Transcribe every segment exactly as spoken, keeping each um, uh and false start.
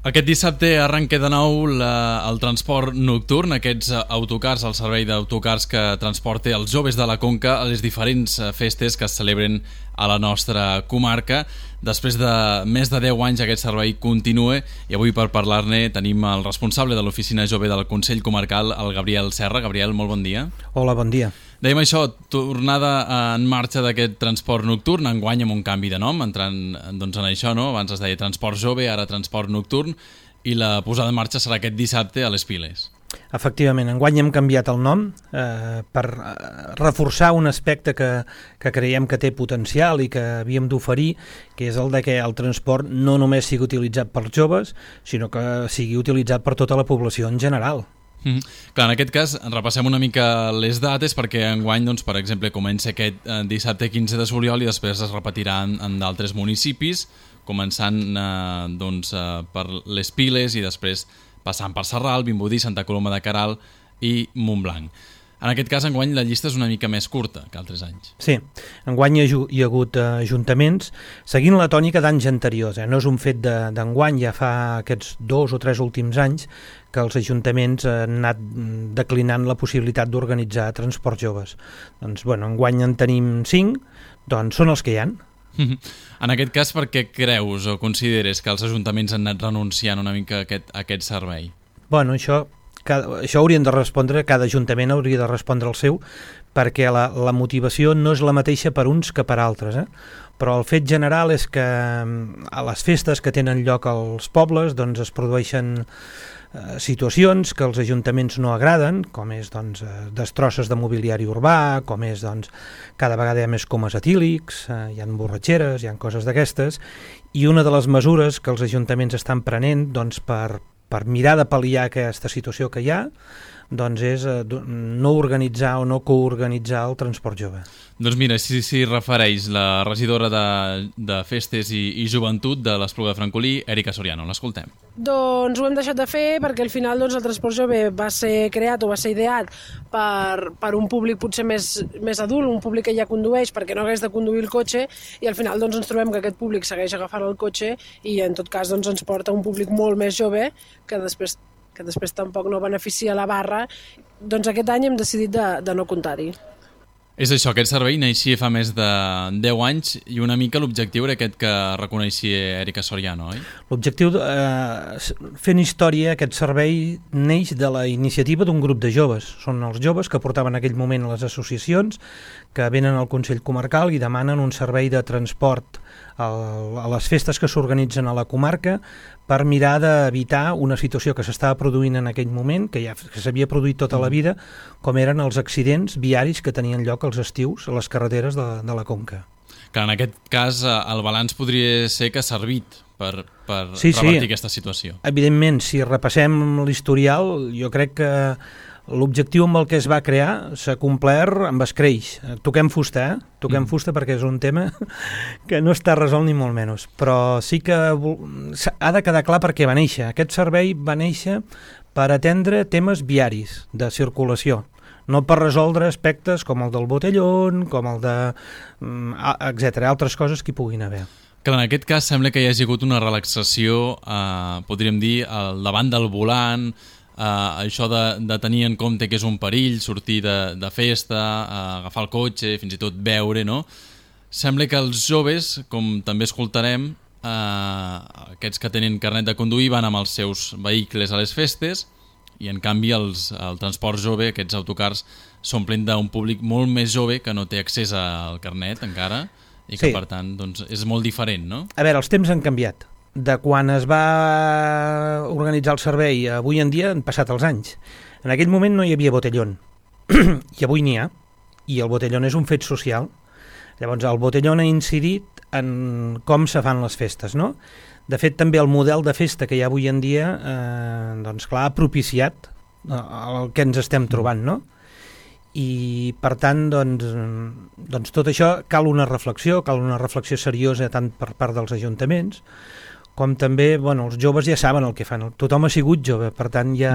Aquest dissabte arrenca de nou la, el transport nocturn, aquests autocars, el servei d'autocars que transporta els joves de la Conca a les diferents festes que es celebren a la nostra comarca. Després de més de deu anys aquest servei continua i avui per parlar-ne tenim el responsable de l'oficina jove del Consell Comarcal, el Gabriel Serra. Gabriel, molt bon dia. Hola, bon dia. Dèiem això, tornada en marxa d'aquest transport nocturn, enguany amb un canvi de nom, entrant doncs, en això, no? Abans es deia transport jove, ara transport nocturn, i la posada en marxa serà aquest dissabte a les Piles. Efectivament, enguany hem canviat el nom eh, per reforçar un aspecte que, que creiem que té potencial i que havíem d'oferir, que és el de que el transport no només sigui utilitzat per joves, sinó que sigui utilitzat per tota la població en general. Mm. Clar, en aquest cas repassem una mica les dates perquè enguany, doncs, per exemple, comença aquest eh, dissabte quinze de juliol i després es repetirà en, en d'altres municipis, començant eh, doncs, eh, per les Piles i després passant per Sarral, Vimbodí, Santa Coloma de Queralt i Montblanc. En aquest cas, enguany, la llista és una mica més curta que altres anys. Sí, enguany hi ha, hi ha hagut uh, ajuntaments seguint la tònica d'anys anteriors. Eh? No és un fet d'enguany, ja fa aquests dos o tres últims anys que els ajuntaments han anat declinant la possibilitat d'organitzar transports joves. Doncs, bueno, enguany en tenim cinc, doncs són els que hi ha. En aquest cas, per què creus o consideres que els ajuntaments han anat renunciant una mica a aquest, a aquest servei? Bueno, això... Cada, això haurien de respondre, cada ajuntament hauria de respondre el seu, perquè la, la motivació no és la mateixa per uns que per altres, eh? Però el fet general és que a les festes que tenen lloc als pobles doncs es produeixen eh, situacions que els ajuntaments no agraden, com és doncs, destrosses de mobiliari urbà, com és doncs, cada vegada hi ha més comes etílics, eh, hi ha borratxeres, hi ha coses d'aquestes, i una de les mesures que els ajuntaments estan prenent doncs, per per mirar de pal·liar aquesta situació que hi ha, doncs és eh, no organitzar o no coorganitzar el transport jove. Doncs mira, si s'hi refereix la regidora de, de Festes i, i Joventut de l'Espluga de Francolí, Erika Soriano. L'escoltem. Doncs ho hem deixat de fer perquè al final doncs, el transport jove va ser creat o va ser ideat per, per un públic potser més, més adult, un públic que ja condueix perquè no hagués de conduir el cotxe, i al final doncs, ens trobem que aquest públic segueix agafant el cotxe i en tot cas doncs, ens porta un públic molt més jove que després que després tampoc no beneficia la barra, doncs aquest any hem decidit de, de no comptar-hi. És això, aquest servei naixia fa més de deu anys i una mica l'objectiu era aquest que reconeixia Erika Soriano, oi? L'objectiu, eh, fent història, aquest servei neix de la iniciativa d'un grup de joves. Són els joves que portaven en aquell moment les associacions que venen al Consell Comarcal i demanen un servei de transport a les festes que s'organitzen a la comarca per mirar d'evitar una situació que s'estava produint en aquell moment, que ja que s'havia produït tota la vida, com eren els accidents viaris que tenien lloc als estius a les carreteres de, de la Conca. Que en aquest cas el balanç podria ser que ha servit per, per sí, revertir sí. aquesta situació. Evidentment, si repassem l'historial, jo crec que l'objectiu amb el que es va crear s'ha complert amb escreix. Toquem fusta, eh? Toquem mm. fusta perquè és un tema que no està resolt ni molt menys. Però sí que ha de quedar clar per què va néixer. Aquest servei va néixer per atendre temes viaris de circulació, no per resoldre aspectes com el del botellón, com el de... etcètera, altres coses que hi puguin haver. Que en aquest cas sembla que hi hagi hagut una relaxació, eh, podríem dir, al davant del volant, Uh, això de, de tenir en compte que és un perill sortir de, de festa, uh, agafar el cotxe, fins i tot beure, no? Sembla que els joves, com també escoltarem, uh, aquests que tenen carnet de conduir van amb els seus vehicles a les festes i en canvi els, el transport jove, aquests autocars, s'omplen d'un públic molt més jove que no té accés al carnet encara i que sí. Per tant doncs, és molt diferent, no? A veure, els temps han canviat. De quan es va organitzar el servei avui en dia han passat els anys. En aquell moment no hi havia botellón i avui n'hi ha, i el botellón és un fet social. Llavors el botellón ha incidit en com se fan les festes, no? De fet també el model de festa que hi ha avui en dia eh, doncs clar, ha propiciat el que ens estem trobant, no? I per tant doncs, doncs tot això cal una reflexió, cal una reflexió seriosa tant per part dels ajuntaments com també, bueno, els joves ja saben el que fan, tothom ha sigut jove, per tant ja,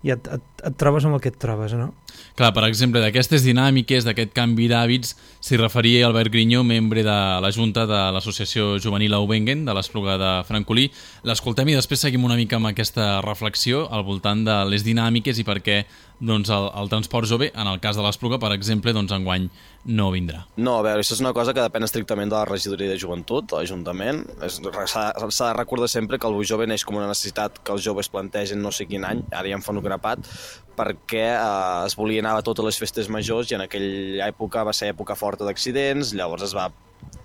i et, et, et trobes amb el que et trobes, no? Clar, per exemple, d'aquestes dinàmiques, d'aquest canvi d'hàbits, s'hi referia Albert Grinyó, membre de la Junta de l'Associació Juvenil Aubengen, de l'Espluga de Francolí. L'escoltem i després seguim una mica amb aquesta reflexió al voltant de les dinàmiques i per què doncs, el, el transport jove, en el cas de l'Espluga, per exemple, doncs, enguany no vindrà. No, a veure, això és una cosa que depèn estrictament de la regidoria de joventut, de l'Ajuntament. S'ha de recordar sempre que el bus jove neix com una necessitat que els joves plantegen no sé quin any, ara ja em fan un grapat, perquè eh, es volia anar a totes les festes majors i en aquella època va ser època forta d'accidents, llavors es va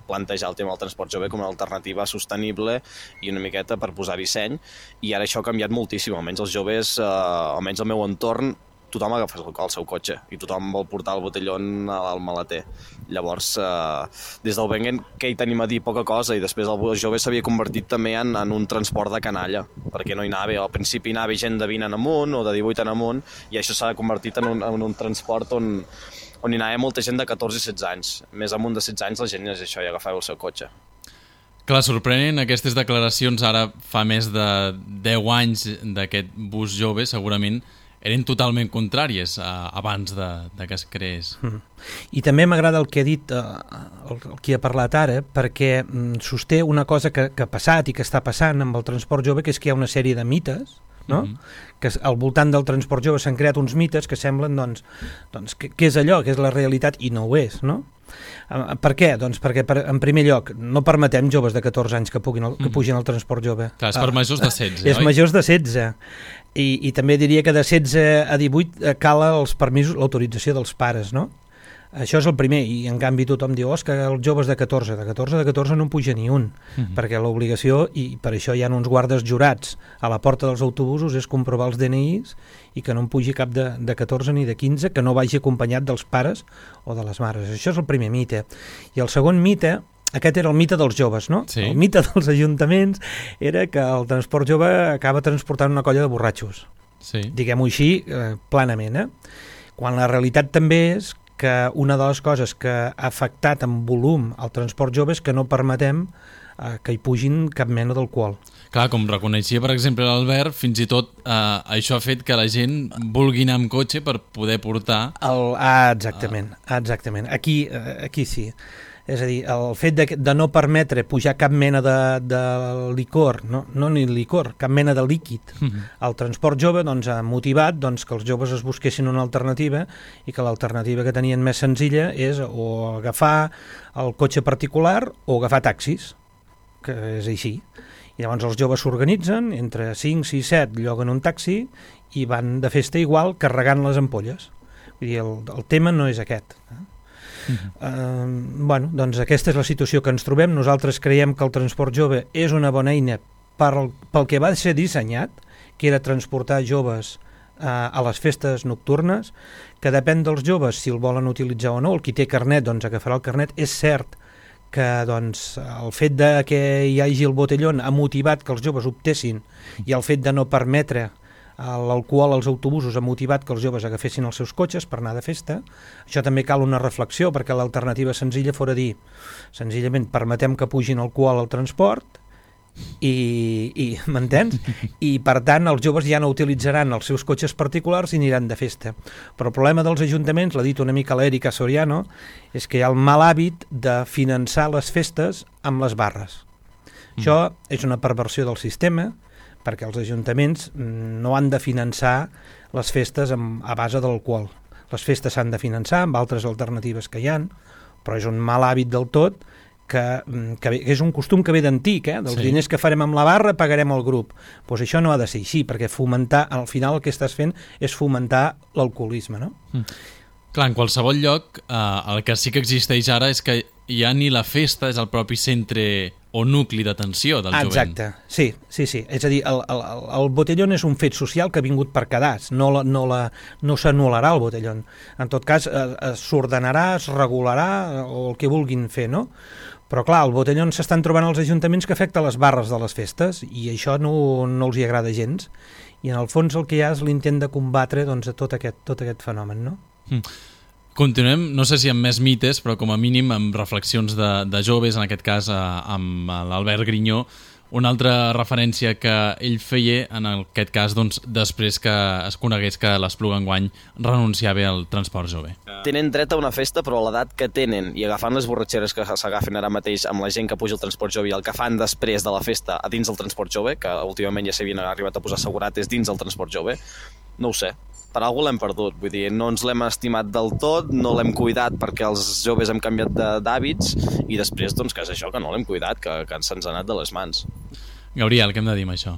plantejar el tema del transport jove com una alternativa sostenible i una miqueta per posar-hi seny, i ara això ha canviat moltíssim, almenys els joves, eh, almenys al meu entorn, tothom agafa el seu cotxe i tothom vol portar el botellón al maleter. Llavors, eh, des del Bengen, què hi tenim a dir? Poca cosa, i després el jove s'havia convertit també en, en un transport de canalla, perquè no hi anava, al principi anava gent de vint en amunt o de divuit en amunt, i això s'ha convertit en un, en un transport on, on hi anava molta gent de catorze i setze anys. Més amunt de setze anys la gent és això, i agafava el seu cotxe. Clar, sorprenen aquestes declaracions ara fa més de deu anys d'aquest bus jove, segurament eren totalment contràries a, abans de, de que es creés. Mm. I també m'agrada el que ha dit eh, el, el qui ha parlat ara, perquè mm, sosté una cosa que, que ha passat i que està passant amb el transport jove, que és que hi ha una sèrie de mites, no? Mm-hmm. Que al voltant del transport jove s'han creat uns mites que semblen doncs, doncs, que, que és allò, que és la realitat, i no ho és, no? Per què? Doncs perquè, per, en primer lloc, no permetem joves de catorze anys que, puguin el, que pugin al transport jove. Clar, és per majors de setze, és oi? majors de setze. I, I també diria que de setze a divuit cala els permisos, l'autorització dels pares, no? Això és el primer, i en canvi tothom diu, oh, és que els joves de catorze, de catorze de catorze no en puja ni un, uh-huh. perquè l'obligació, i per això hi ha uns guardes jurats a la porta dels autobusos, és comprovar els D N Is i que no en pugi cap de, de catorze ni de quinze, que no vagi acompanyat dels pares o de les mares. Això és el primer mite. I el segon mite, aquest era el mite dels joves, no? Sí. El mite dels ajuntaments era que el transport jove acaba transportant una colla de borratxos. Sí. Diguem-ho així, eh, planament, eh? Quan la realitat també és que una de les coses que ha afectat en volum el transport jove és que no permetem eh, que hi pugin cap mena d'alcohol. Clar, com reconeixia, per exemple, l'Albert, fins i tot eh, això ha fet que la gent vulgui anar amb cotxe per poder portar... El, ah, exactament, ah. exactament. Aquí, eh, aquí sí. És a dir, el fet de, de no permetre pujar cap mena de, de licor, no, no ni licor, cap mena de líquid uh-huh. al transport jove, doncs ha motivat doncs, que els joves es busquessin una alternativa, i que l'alternativa que tenien més senzilla és o agafar el cotxe particular o agafar taxis, que és així. I llavors els joves s'organitzen, entre cinc, sis, set lloguen un taxi i van de festa igual carregant les ampolles. Vull dir, el, el tema no és aquest, eh? Uh-huh. Uh, bueno, doncs aquesta és la situació que ens trobem. Nosaltres creiem que el transport jove és una bona eina per, pel que va ser dissenyat, que era transportar joves uh, a les festes nocturnes, que depèn dels joves si el volen utilitzar o no. El qui té carnet doncs agafarà el carnet. És cert que doncs, el fet de que hi hagi el botellón ha motivat que els joves optessin, i el fet de no permetre l'alcohol als autobusos ha motivat que els joves agafessin els seus cotxes per anar de festa. Això també cal una reflexió, perquè l'alternativa senzilla fora dir, senzillament permetem que pugin alcohol al transport i, i m'entens? I per tant els joves ja no utilitzaran els seus cotxes particulars i aniran de festa. Però el problema dels ajuntaments, l'ha dit una mica l'Èrica Soriano, és que hi ha el mal hàbit de finançar les festes amb les barres. Mm. Això és una perversió del sistema, perquè els ajuntaments no han de finançar les festes amb, a base de l'alcohol. Les festes s'han de finançar amb altres alternatives que hi ha, però és un mal hàbit del tot, que, que, que és un costum que ve d'antic, eh? Dels sí. diners que farem amb la barra pagarem el grup. Pues això no ha de ser així, perquè fomentar, al final el que estàs fent és fomentar l'alcoholisme, no? Mm. Clar, en qualsevol lloc, eh, el que sí que existeix ara és que ja ni la festa és el propi centre o nucli d'atenció del jovent. Exacte, sí, sí, sí. És a dir, el, el, el botellón és un fet social que ha vingut per quedar-se, no, la, no, la, no s'anul·larà el botellón. En tot cas, s'ordenarà, es regularà, o el que vulguin fer, no? Però clar, el botellón s'estan trobant als ajuntaments que afecta les barres de les festes, i això no, no els hi agrada gens. I en el fons el que hi ha és l'intent de combatre doncs, tot, aquest, tot aquest fenomen, no? Mm. Continuem, no sé si amb més mites, però com a mínim amb reflexions de, de joves, en aquest cas eh, amb l'Albert Grinyó, Una altra referència que ell feia, en aquest cas, doncs, després que es conegués que l'Espluga enguany renunciava al transport jove. Tenen dret a una festa, però a l'edat que tenen, i agafant les borratxeres que s'agafen ara mateix amb la gent que puja al transport jove i el que fan després de la festa a dins del transport jove, que últimament ja s'havien arribat a posar segurates dins del transport jove, no ho sé. Per algú l'hem perdut, vull dir, no ens l'hem estimat del tot, no l'hem cuidat perquè els joves hem canviat d'hàbits i després, doncs, que és això, que no l'hem cuidat, que, que se'ns ha anat de les mans. Gabriel, què hem de dir amb això?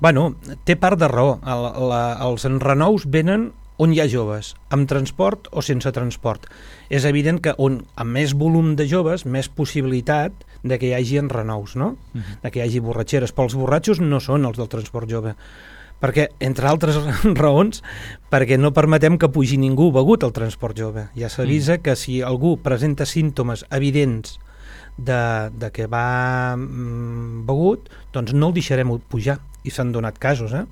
Bueno, té part de raó. El, la, els enrenous venen on hi ha joves, amb transport o sense transport. És evident que on amb més volum de joves, més possibilitat de que hi hagi enrenous, no? Uh-huh. De que hi hagi borratxeres. Però els borratxos no són els del transport jove. Perquè, entre altres raons, perquè no permetem que pugi ningú begut al transport jove. Ja s'avisa mm. que si algú presenta símptomes evidents de, de que va mm, begut, doncs no el deixarem pujar, i s'han donat casos, eh?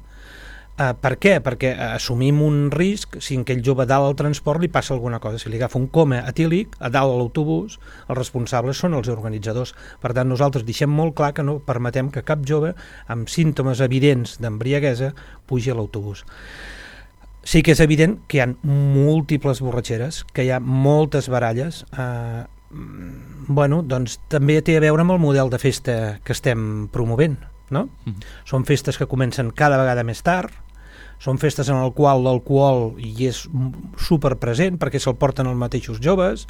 Uh, per què? Perquè assumim un risc si aquell jove dalt al transport li passa alguna cosa. Si li agafa un coma etílic a dalt a l'autobús, els responsables són els organitzadors. Per tant, nosaltres deixem molt clar que no permetem que cap jove amb símptomes evidents d'embriaguesa pugi a l'autobús. Sí que és evident que hi ha múltiples borratxeres, que hi ha moltes baralles. Uh, bueno, doncs també té a veure amb el model de festa que estem promovent, no? Mm. Són festes que comencen cada vegada més tard, són festes en el qual l'alcohol hi és superpresent perquè se'l porten els mateixos joves.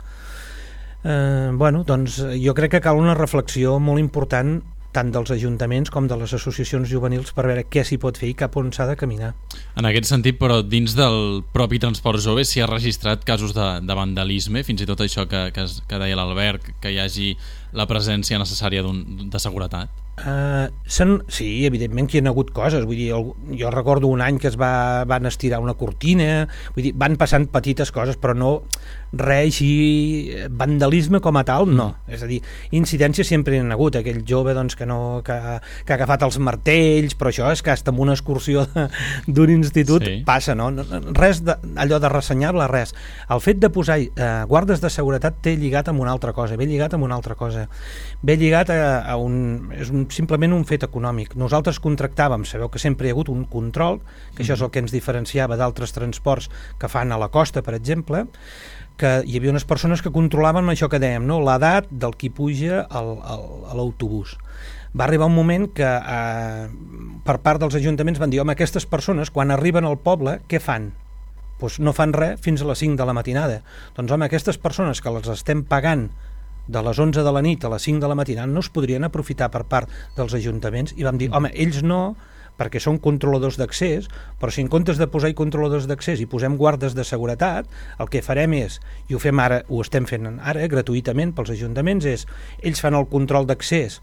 Eh, bueno, doncs jo crec que cal una reflexió molt important tant dels ajuntaments com de les associacions juvenils per veure què s'hi pot fer i cap on s'ha de caminar. En aquest sentit, però, dins del propi transport jove s'hi ha registrat casos de, de vandalisme, fins i tot això que, que, que deia l'Albert, que hi hagi la presència necessària d'un, de seguretat? Uh, sen, sí, evidentment que hi ha hagut coses, vull dir, el, jo recordo un any que es va, van estirar una cortina, vull dir, van passant petites coses, però no res així, vandalisme com a tal, no. És a dir, incidències sempre hi ha hagut, aquell jove doncs, que, no, que, que ha agafat els martells, però això és que hasta amb una excursió d'un institut sí. passa, no? Res de, allò de ressenyable, res. El fet de posar eh, guardes de seguretat té lligat amb una altra cosa, ve lligat amb una altra cosa, ve lligat a, a un... és un simplement un fet econòmic. Nosaltres contractàvem, sabeu que sempre hi ha hagut un control, que això és el que ens diferenciava d'altres transports que fan a la costa, per exemple, que hi havia unes persones que controlaven això que dèiem, no? L'edat del qui puja al, al, a l'autobús. Va arribar un moment que eh, per part dels ajuntaments van dir, home, aquestes persones quan arriben al poble, què fan? Pues no fan res fins a les cinc de la matinada. Doncs home, aquestes persones que les estem pagant de les onze de la nit a les cinc de la matinada no es podrien aprofitar per part dels ajuntaments i vam dir, home, ells no, perquè són controladors d'accés, però si en comptes de posar-hi controladors d'accés i posem guardes de seguretat, el que farem és, i ho fem ara, ho estem fent ara gratuïtament pels ajuntaments, és ells fan el control d'accés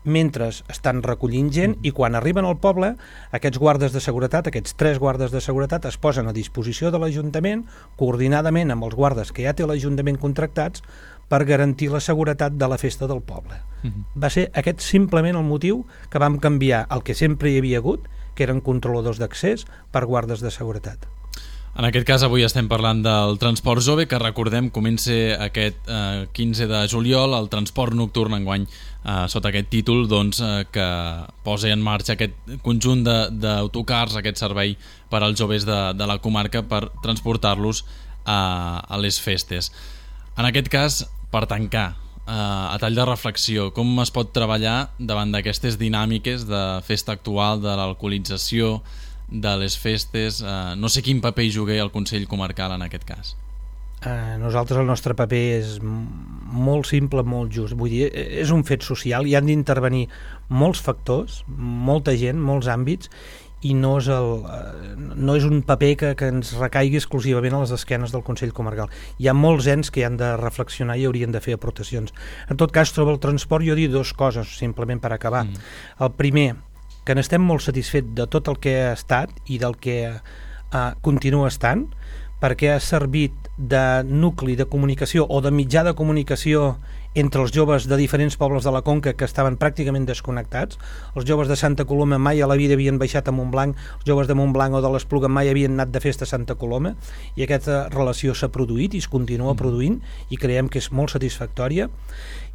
mentre estan recollint gent i quan arriben al poble aquests guardes de seguretat, aquests tres guardes de seguretat es posen a disposició de l'Ajuntament coordinadament amb els guardes que ja té l'Ajuntament contractats per garantir la seguretat de la festa del poble. Uh-huh. Va ser aquest simplement el motiu que vam canviar el que sempre hi havia hagut, que eren controladors d'accés, per guardes de seguretat. En aquest cas avui estem parlant del transport jove, que recordem comença aquest eh, quinze de juliol, el transport nocturn enguany eh, sota aquest títol doncs, eh, que posa en marxa aquest conjunt d'autocars, aquest servei per als joves de, de la comarca per transportar-los a, a les festes. En aquest cas, per tancar, eh, a tall de reflexió, com es pot treballar davant d'aquestes dinàmiques de festa actual, de l'alcoholització, de les festes, eh, no sé quin paper hi jugué el Consell Comarcal en aquest cas. Eh, nosaltres el nostre paper és molt simple, molt just, vull dir, és un fet social, hi han d'intervenir molts factors, molta gent, molts àmbits, i no és, el, no és un paper que, que ens recaigui exclusivament a les esquenes del Consell Comarcal. Hi ha molts ens que hi han de reflexionar i haurien de fer aportacions. En tot cas, sobre el transport jo dic dues coses, simplement per acabar. Mm. El primer, que n'estem molt satisfets de tot el que ha estat i del que eh, continua estant, perquè ha servit de nucli de comunicació o de mitjà de comunicació entre els joves de diferents pobles de la Conca que estaven pràcticament desconnectats. Els joves de Santa Coloma mai a la vida havien baixat a Montblanc, els joves de Montblanc o de l'Espluga mai havien anat de festa a Santa Coloma, i aquesta relació s'ha produït i es continua produint i creiem que és molt satisfactòria.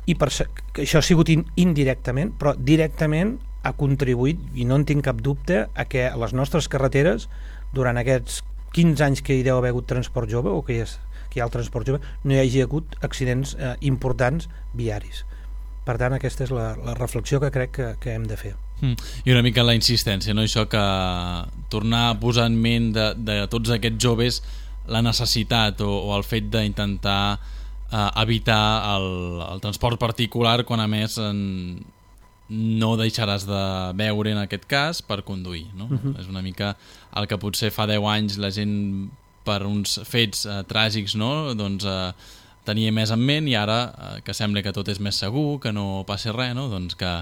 i per, que això ha sigut in, indirectament, però directament ha contribuït, i no en tinc cap dubte, a que a les nostres carreteres, durant aquests quinze anys que hi deu haver hagut transport jove, o que hi, és, que hi ha el transport jove, no hi hagi hagut accidents eh, importants viaris. Per tant, aquesta és la, la reflexió que crec que, que hem de fer. Mm. I una mica la insistència, no? Això que tornar a posar en ment de, de tots aquests joves la necessitat o, o el fet d'intentar eh, evitar el, el transport particular quan a més en, no deixaràs de beure en aquest cas per conduir, no? Uh-huh. És una mica el que potser fa deu anys la gent per uns fets eh, tràgics, no? Doncs eh, tenia més en ment, i ara eh, que sembla que tot és més segur, que no passi res, no? Doncs que,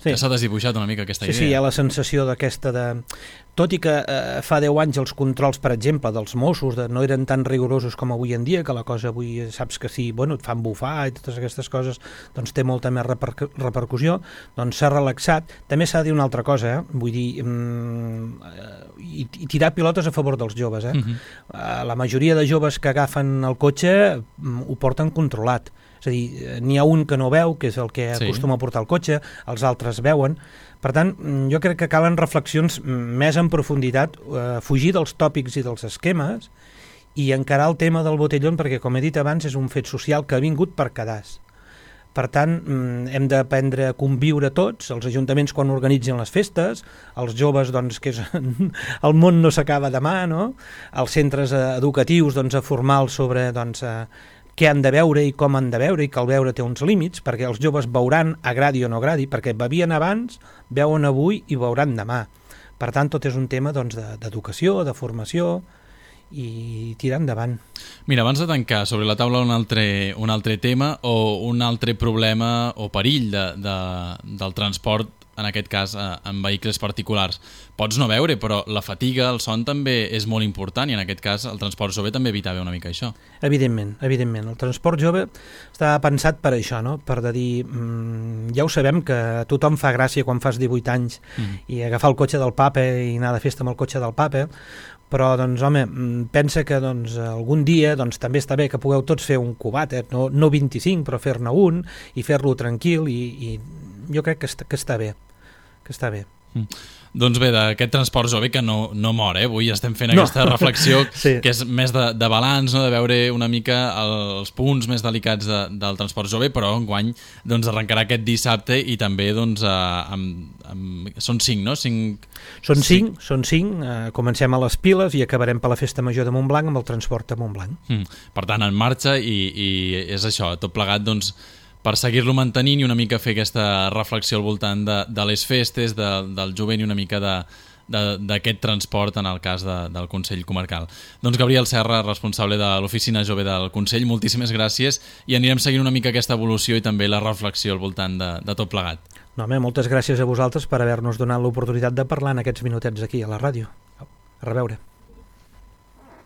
sí. que s'ha desdibuixat una mica aquesta sí, idea. Sí, hi ha la sensació d'aquesta de... Tot i que eh, fa deu anys els controls, per exemple, dels Mossos de, no eren tan rigorosos com avui en dia, que la cosa avui saps que sí, bueno, et fan bufar i totes aquestes coses, doncs té molta més reper repercussió, doncs s'ha relaxat. També s'ha de dir una altra cosa, eh? Vull dir, mm, i, i tirar pilotes a favor dels joves. Eh? Uh-huh. uh, la majoria de joves que agafen el cotxe mm, ho porten controlat. És a dir, n'hi ha un que no veu, que és el que sí. acostuma a portar el cotxe, els altres veuen. Per tant, jo crec que calen reflexions més en profunditat, eh, fugir dels tòpics i dels esquemes i encarar el tema del botellón, perquè, com he dit abans, és un fet social que ha vingut per quedar-se. Per tant, hem d'aprendre a conviure tots, els ajuntaments quan organitzen les festes, els joves, doncs, que és, el món no s'acaba demà, no? Els centres educatius, doncs, a formar-los sobre, doncs, a, què han de veure i com han de veure, i que el veure té uns límits, perquè els joves veuran, agradi o no agradi, perquè bevien abans, veuen avui i veuran demà. Per tant, tot és un tema doncs, d'educació, de formació, i tirar endavant. Mira, abans de tancar, sobre la taula un altre, un altre tema o un altre problema o perill de, de, del transport, en aquest cas eh, en vehicles particulars. Pots no veure, però la fatiga, el son també és molt important, i en aquest cas el transport jove també evitava una mica això. Evidentment, evidentment. El transport jove està pensat per això, no? Per de dir, mmm, ja ho sabem que a tothom fa gràcia quan fas divuit anys mm. i agafar el cotxe del papa i anar de festa amb el cotxe del papa, però, doncs, home, pensa que doncs, algun dia doncs, també està bé que pugueu tots fer un cubat, eh? no, no vint-i-cinc, però fer-ne un i fer-lo tranquil, i, i jo crec que està, que està bé, que està bé. Mm. Doncs bé, d'aquest transport jove que no, no mor, eh? Avui estem fent no. aquesta reflexió sí. que és més de, de balanç, no? De veure una mica els punts més delicats de, del transport jove, però enguany doncs, arrencarà aquest dissabte, i també doncs, eh, amb, amb... són cinc, no? Cinc... Són cinc, cinc. són cinc. Eh, comencem a les Piles i acabarem per la Festa Major de Montblanc amb el transport a Montblanc. Mm. Per tant, en marxa, i, i és això, tot plegat, doncs, per seguir-lo mantenint i una mica fer aquesta reflexió al voltant de, de les festes, de, del jovent, i una mica d'aquest transport en el cas de, del Consell Comarcal. Doncs Gabriel Serra, responsable de l'Oficina Jove del Consell, moltíssimes gràcies, i anirem seguint una mica aquesta evolució i també la reflexió al voltant de, de tot plegat. No, home, moltes gràcies a vosaltres per haver-nos donat l'oportunitat de parlar en aquests minutets aquí a la ràdio. A reveure.